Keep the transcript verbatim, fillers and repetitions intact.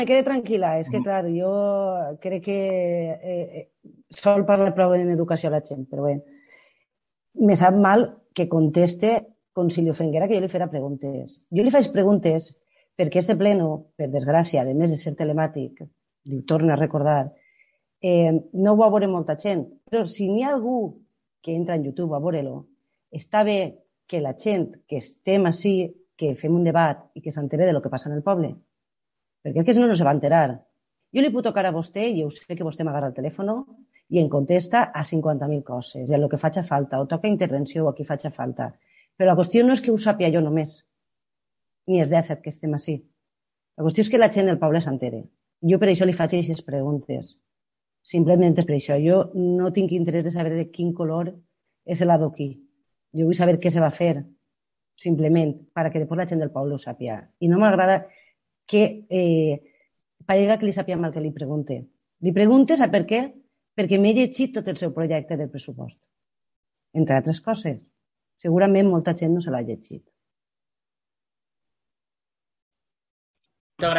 me quede tranquil·la, és que, clar, jo crec que eh, sol parlar prou en educació a la gent, però bé, me sap mal que conteste com si li ofenguera que jo li fera preguntes. Jo li faig preguntes perquè este pleno, per desgràcia, a més de ser telemàtic, li ho torno a recordar, eh, no ho va veure molta gent, però si n'hi ha algú que entra en YouTube a veure-lo, està bé que la gent que estem així, que fem un debat i que s'entere de lo que passa en el poble, perquè el que no, no se va enterar. Jo li puc tocar a vostè, i jo sé que vostè m'agarra el telèfon i em contesta a cinquanta mil coses, i a lo que faci falta, o toca intervenció o a qui faci falta. Però la qüestió no és que ho sàpia jo només, ni és dèsset que estem així. La qüestió és que la gent del poble s'entere. Jo per això li faig aquestes preguntes. Simplement és per això. Jo no tinc interès de saber de quin color és l'adoquí. Jo vull saber què se va fer, simplement, perquè després la gent del poble ho sàpia. I no m'agrada que eh, parega que li sàpia mal que li pregunte. Li pregunte, sap per què? Perquè m'he llegit tot el seu projecte de pressupost. Entre altres coses. Segurament molta gent no se l'ha llegit.